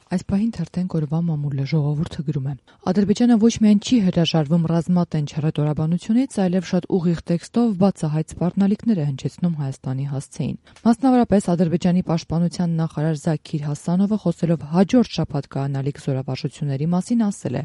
Այս պահին թերթենք օրվա մամուլը ժողովուրդը գրում է. Ադրբեջանը ոչ միայն չի հրաժարվում ռազմատենչ հռետորաբանությունից, այլև շատ ուղիղ տեքստով բացահայտ սպառնալիքներ է հնչեցնում Հայաստանի հասցեին։ Մասնավորապես Ադրբեջանի պաշտպանության նախարար Զաքիր Հասանովը, խոսելով հաջորդ շաբաթ կայանալիք զորավարժությունների մասին, ասել է.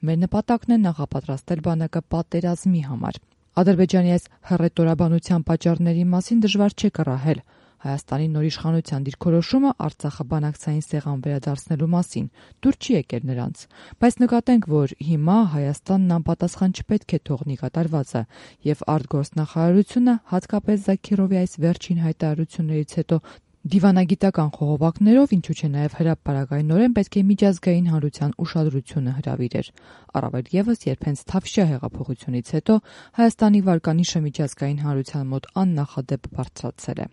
«Մեր նպատակն է նախապատրաստել բանակը պատերազմի համար»։ Ադրբեջանի այս հռետորաբանության պատճառների մասին դժվար չէ կռահել Հայաստանի նոր իշխանության դիրքորոշումը Արցախը բանակցային սեղան վերադարձնելու մասին դուր չի եկել նրանց, բայց նկատենք, որ հիմա Հայաստանն անպատասխան չպետք է թողնի կատարվածը, եւ արտգործնախարարությունը, հատկապես Զաքիրովի այս վերջին հայտարարություններից հետո դիվանագիտական խողովակներով, ինչու չէ նաև հրապարակայնորեն պետք է միջազգային հանրության ուշադրությունը հրավիրեր, առավել ևս երբ հենց Թավշյա հեղափոխությունից հետո Հայաստանի վարկանիշը միջազգային հանրության մոտ աննախադեպ բարձրացել է։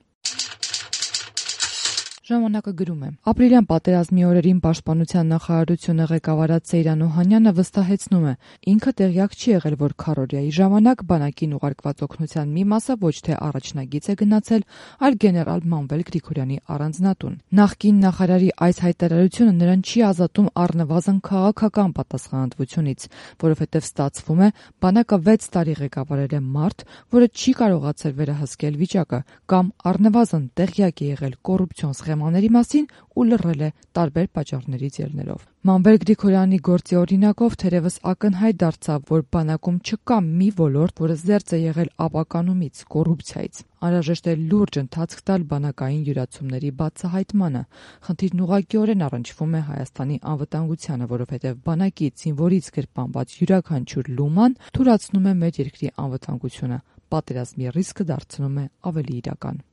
Ժամանակը գրում է. Ապրիլյան պատերազմի օրերին Պաշտպանության նախարարությունը ղեկավարած Սեյրան Օհանյանը վստահեցնում է, ինքը տեղյակ չի եղել, որ քառօրյայի ժամանակ բանակին ուղարկված օգնության մի մասը ոչ թե առաջնագիծ է գնացել, այլ գեներալ Մանվել Գրիգորյանի առանձնատուն։ Նախկին նախարարի այս հայտարարությունը նրան չի ազատում առնվազն քաղաքական պատասխանատվությունից, որովհետև ստացվում է, բանակը 6 տարի ղեկավարել է մարդ, որը չի կարողացել վերահսկել վիճակը կամ առնվազն տեղյակ է եղել կոռուպցիոն սխեմաների մասին ու լռել է տարբեր պատճառներից ելնելով։ Մանվել Գրիգորյանի գործի օրինակով թերևս ակնհայտ դարձավ, որ բանակում չկա մի ոլորտ, որը զերծ է եղել ապականումից, կոռուպցիայից։ Անհրաժեշտ է լուրջ ընթացք տալ բանակային յուրացումների բացահայտմանը։ Խնդիրն ուղղակիորեն առնչվում է Հայաստանի անվտանգությանը, որովհետև բանակից, զինվորից գրպանված յուրաքանչյուր լուման թուլացնում է մեր երկրի անվտանգությունը, պատերազմի ռիսկը դարձնում է ավելի իրական։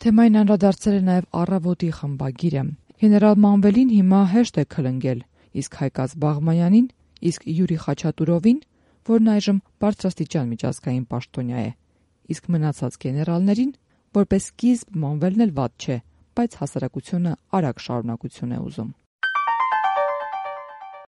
Թեմային անդրադարձել է նաև Առավոտի խմբագիրը։ Գեներալ Մանվելին հիմա հեշտ է քլնգել, իսկ Հայկազ Բաղմանյանին, իսկ Յուրի Խաչատուրովին, որն այժմ բարձրաստիճան միջազգային պաշտոնյա է, իսկ մնացած գեներալներին, որպես սկիզբ Մանվելն էլ վատ չէ, բայց հասարակությունը արագ շարունակություն է ուզում։